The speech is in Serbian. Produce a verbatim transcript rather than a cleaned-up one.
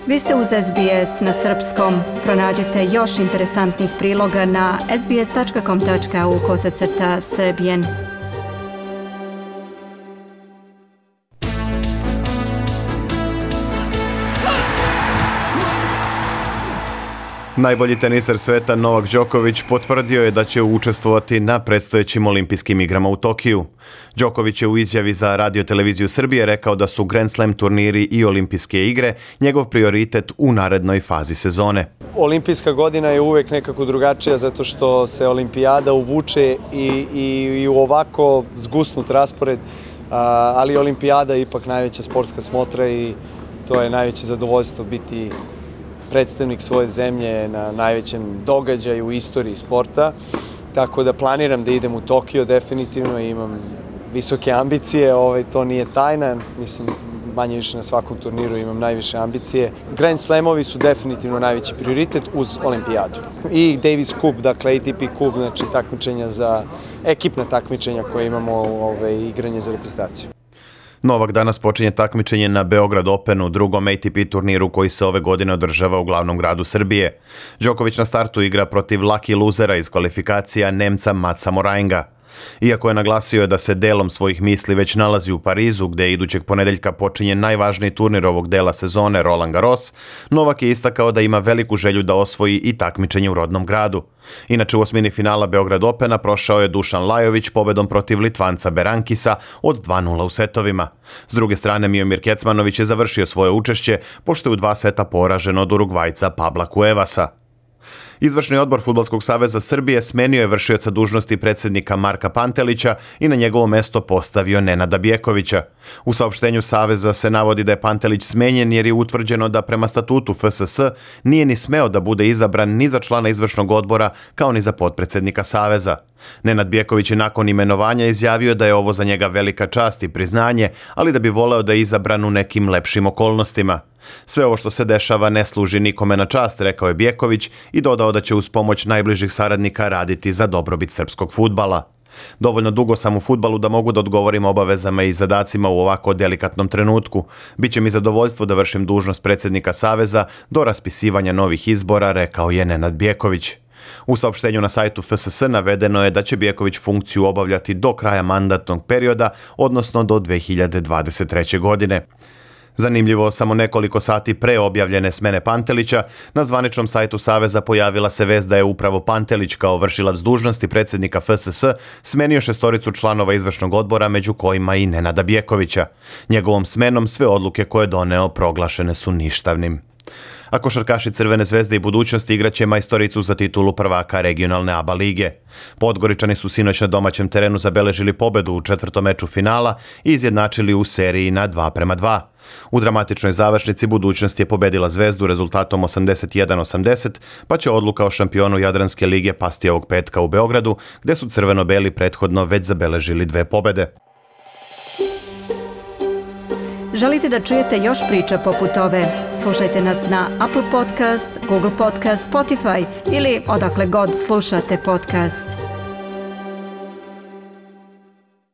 Vi ste uz S B S na srpskom. Pronađite još interesantnih priloga na sbs.com tačka au kosacrta srbijen. Najbolji teniser sveta Novak Đoković potvrdio je da će učestvovati na predstojećim olimpijskim igrama u Tokiju. Đoković je u izjavi za Radio Televiziju Srbije rekao da su Grand Slam turniri i olimpijske igre njegov prioritet u narednoj fazi sezone. Olimpijska godina je uvek nekako drugačija zato što se olimpijada uvuče i, i, i u ovako zgusnut raspored, ali olimpijada je ipak najveća sportska smotra i to je najveće zadovoljstvo biti predstavnik svoje zemlje na najvećem događaju u istoriji sporta. Tako da planiram da idem u Tokio definitivno i imam visoke ambicije, ovaj, to nije tajna, mislim manje više na svakom turniru imam najviše ambicije. Grand Slamovi su definitivno najveći prioritet uz olimpijadu. I Davis Cup, dakle A T P Cup, znači takmičenja za, ekipna takmičenja koje imamo, ovaj, igranje za reprezentaciju. Novak danas počinje takmičenje na Beograd Openu, drugom A T P turniru koji se ove godine održava u glavnom gradu Srbije. Đoković na startu igra protiv lucky losera iz kvalifikacija Nemca Matsa Morainga. Iako je naglasio da se delom svojih misli već nalazi u Parizu, gde idućeg ponedeljka počinje najvažniji turnir ovog dela sezone Roland Garros, Novak je istakao da ima veliku želju da osvoji i takmičenje u rodnom gradu. Inače, u osmini finala Beograd Opena prošao je Dušan Lajović pobedom protiv Litvanca Berankisa od dva nula u setovima. S druge strane, Miomir Kecmanović je završio svoje učešće, pošto je u dva seta poražen od Urugvajca Pabla Cuevasa. Izvršni odbor Fudbalskog saveza Srbije smenio je vršioca dužnosti predsjednika Marka Pantelića i na njegovo mesto postavio Nenada Bjekovića. U saopštenju saveza se navodi da je Pantelić smenjen jer je utvrđeno da prema statutu F S S nije ni smeo da bude izabran ni za člana izvršnog odbora kao ni za potpredsjednika saveza. Nenad Bjeković je nakon imenovanja izjavio da je ovo za njega velika čast i priznanje, ali da bi voleo da je izabran u nekim lepšim okolnostima. Sve ovo što se dešava ne služi nikome na čast, rekao je Bjeković i dodao da će uz pomoć najbližih saradnika raditi za dobrobit srpskog fudbala. Dovoljno dugo sam u fudbalu da mogu da odgovorim obavezama i zadacima u ovako delikatnom trenutku. Biće mi zadovoljstvo da vršim dužnost predsjednika saveza do raspisivanja novih izbora, rekao je Nenad Bjeković. U saopštenju na sajtu F S S navedeno je da će Bjeković funkciju obavljati do kraja mandatnog perioda, odnosno do dve hiljade dvadeset treće. godine. Zanimljivo, samo nekoliko sati pre objavljene smene Pantelića, na zvaničnom sajtu Saveza pojavila se vest da je upravo Pantelić kao vršilac dužnosti predsjednika F S S smenio šestoricu članova izvršnog odbora, među kojima i Nenada Bjekovića. Njegovom smenom sve odluke koje je doneo proglašene su ništavnim. A košarkaši Crvene zvezde i budućnosti igraće majstoricu za titulu prvaka regionalne A B A lige. Podgoričani su sinoć na domaćem terenu zabeležili pobedu u četvrtom meču finala i izjednačili u seriji na dva prema dva. U dramatičnoj završnici budućnost je pobedila Zvezdu rezultatom osamdeset jedan osamdeset, pa će odluka o šampionu Jadranske lige pasti ovog petka u Beogradu, gde su crveno-beli prethodno već zabeležili dve pobede. Želite da čujete još priča poput ove? Slušajte nas na Apple Podcast, Google Podcast, Spotify ili odakle god slušate podcast.